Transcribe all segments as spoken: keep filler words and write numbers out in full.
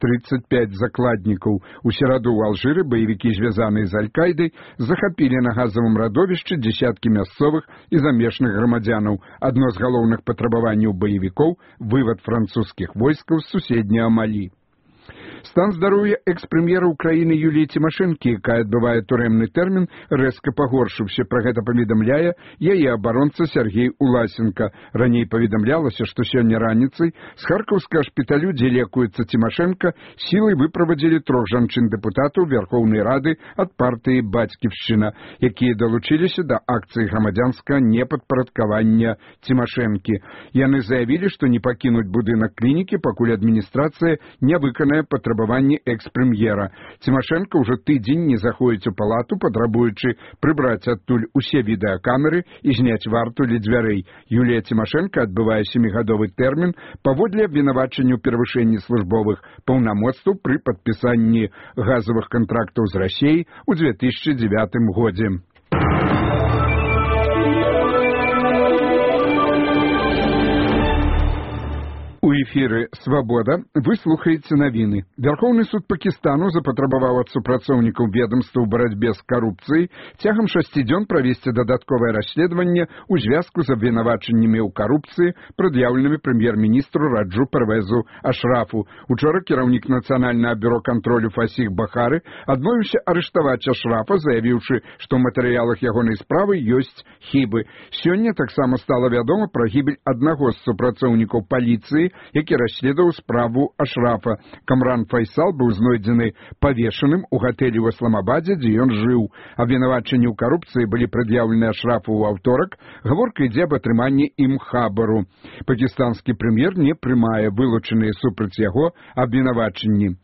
тридцать пять закладнікаў. У сераду ў Алжыры баевікі, звязаныя з Аль-Кайдай, захапілі на газавым радовішчы дзесяткі мясцовых і замежных грамадзянаў. Адно з галоўных патрабаванняў баевікоў – вывад французскіх войскаў з суседняга Малі. Стан здароўя экс-прэм'ера ўкраіны Юліі Цімашэнкі, якая адбывае турэмны тэрмін, рэзка пагоршыўся. Пра гэта паведамляе яе абаронца Сергей Уласенко. Раней паведамлялася, што сёння раніцай з харкаўскага шпіталю, дзе лекуецца Цімашэнка, сілай выправадзілі трох жанчын-дэпутатаў Верхоўнай Рады ад партыі «Бацьківшчына», якія далучыліся да акцыі грамадзянскага непадпарадкавання Цімашэнкі. Яны заявілі, што не пакінуць будынак клінікі, пакуль адміністрацыя не выканае патрабаванні экс-прэм'ера. Цімашэнка ўжо тыдзень не заходзіць у палату, патрабуючы прыбраць адтуль усе відэакамеры і зняць варту ля дзвярэй. Юлія Цімашэнка адбывае сямігадовы тэрмін паводле абвінавачання ў перавышэнні службовых паўнамоцтваў пры падпісанні газавых кантрактаў з Расіяй у дзве тысячы дзевятым годзе. У эфіры «Свабода» вы слухаеце навіны. Вярхоўны суд Пакістану запатрабаваў ад супрацоўнікаў ведамства ў барацьбе з карупцыяй цягам шасці дзён правесці дадатковае расследаванне ў звязку з абвінавачаннямі ў карупцыі, прад'яўленымі прэм'ер-міністру Раджу Парвезу Ашрафу. Учора кіраўнік Нацыянальнага бюро кантролю Фасіх Бахары адмовіўся арыштаваць Ашрафа, заявіўшы, што ў матэрыялах ягонай справы ёсць хібы. Сёння таксама стала вядома пра гібель аднаго з супрацоўнікаў паліцыі, які расследаваў справу Ашрафа. Камран Файсал быў знойдзены павешаным у гатэлі ў Исламабадзе, дзе ён жыў. Абвінавачанні ў карупцыі былі прад'яўлены Ашрафу ў аўторак. Гаворка ідзе аб атрыманні ім хабару. Пакістанскі прэм'ер не прымае вылучаныя супраць яго абвінавачанні.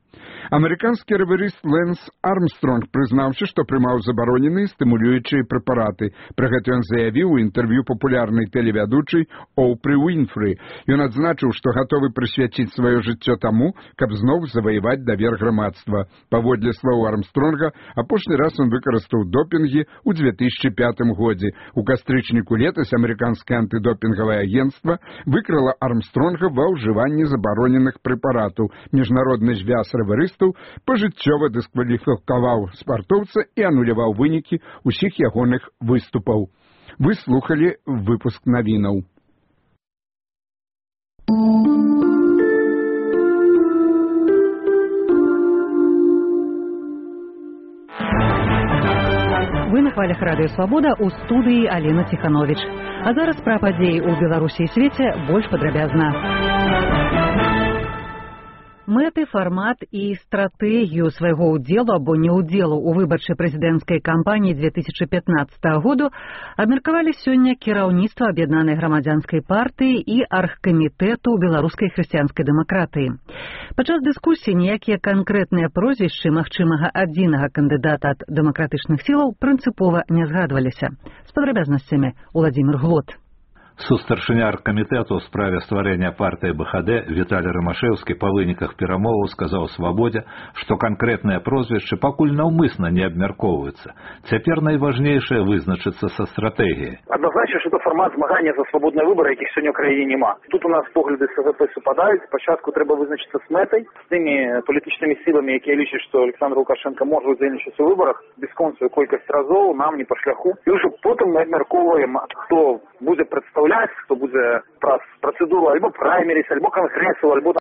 Амерыканскі раварыст Лэнс Армстронг прызнаўся, што прымаў забароненыя стымулюючыя прэпараты. Пра гэта ён заявіў у інтэрв'ю папулярнай тэлевядучай Оупры Уінфры. Ён адзначыў, што гатовы прысвяціць сваё жыццё таму, каб зноў заваяваць давер грамадства. Паводле слоў Армстронга, апошні раз ён выкарыстаў допінгі ў дзве тысячы пятым годзе. У кастрычніку летась амерыканскае антыдопінгавае агенцтва выкрыла Армстронга ва ўжыванні забароненых прэпаратаў. Міжнародны звяз раварыстаў пажыццёва дыскваліфікаваў спартоўца і ануляваў вынікі ўсіх ягоных выступаў. Вы слухалі выпуск навінаў. Вы на хвалях радыё «Свабода», у студыі Алена Ціхановіч. А зараз пра падзеі ў Беларусі і свеце больш падрабязна. Мэты, фармат і стратэгію свайго ўдзелу або неўдзелу ў выбарчай прэзідэнцкай кампаніі дзве тысячы пятнаццатага году абмеркавалі сёння кіраўніцтва аб'яднанай грамадзянскай партыі і аргкамітэту беларускай хрысціянскай дэмакратыі. Падчас дыскусіі ніякія канкрэтныя прозвішчы магчымага адзінага кандыдата ад дэмакратычных сілаў прынцыпова не згадваліся. З падрабязнасцямі Уладзімір Глот. Сустаршыня аргкамітэту ў справе стварэння партыі БХД Віталій Рымашэўскі па выніках перамоваў сказаў «Свабодзе», што канкрэтныя прозвішчы пакуль наўмысна не абмяркоўваюцца. Цяпер найважнейшае вызначыцца са стратэгіяй. Адназначна, што фармат змагання за свабодныя выбары, якіх сёння ў краіне няма. Тут у нас погляды СГП супадаюць. Спачатку трэба вызначыцца з мэтай, з тымі палітычнымі сіламі, якія лічаць, што Александр Лукашенко можа удзельнічаць у выбарах бясконцую колькасць разоў, нам не па шляху. І ўжо потым мы абмяркоўваем, хто будзе прадстаўляць, хто будзе праз працэдуру альбо праймеріс, альбо кангрэсу, альбо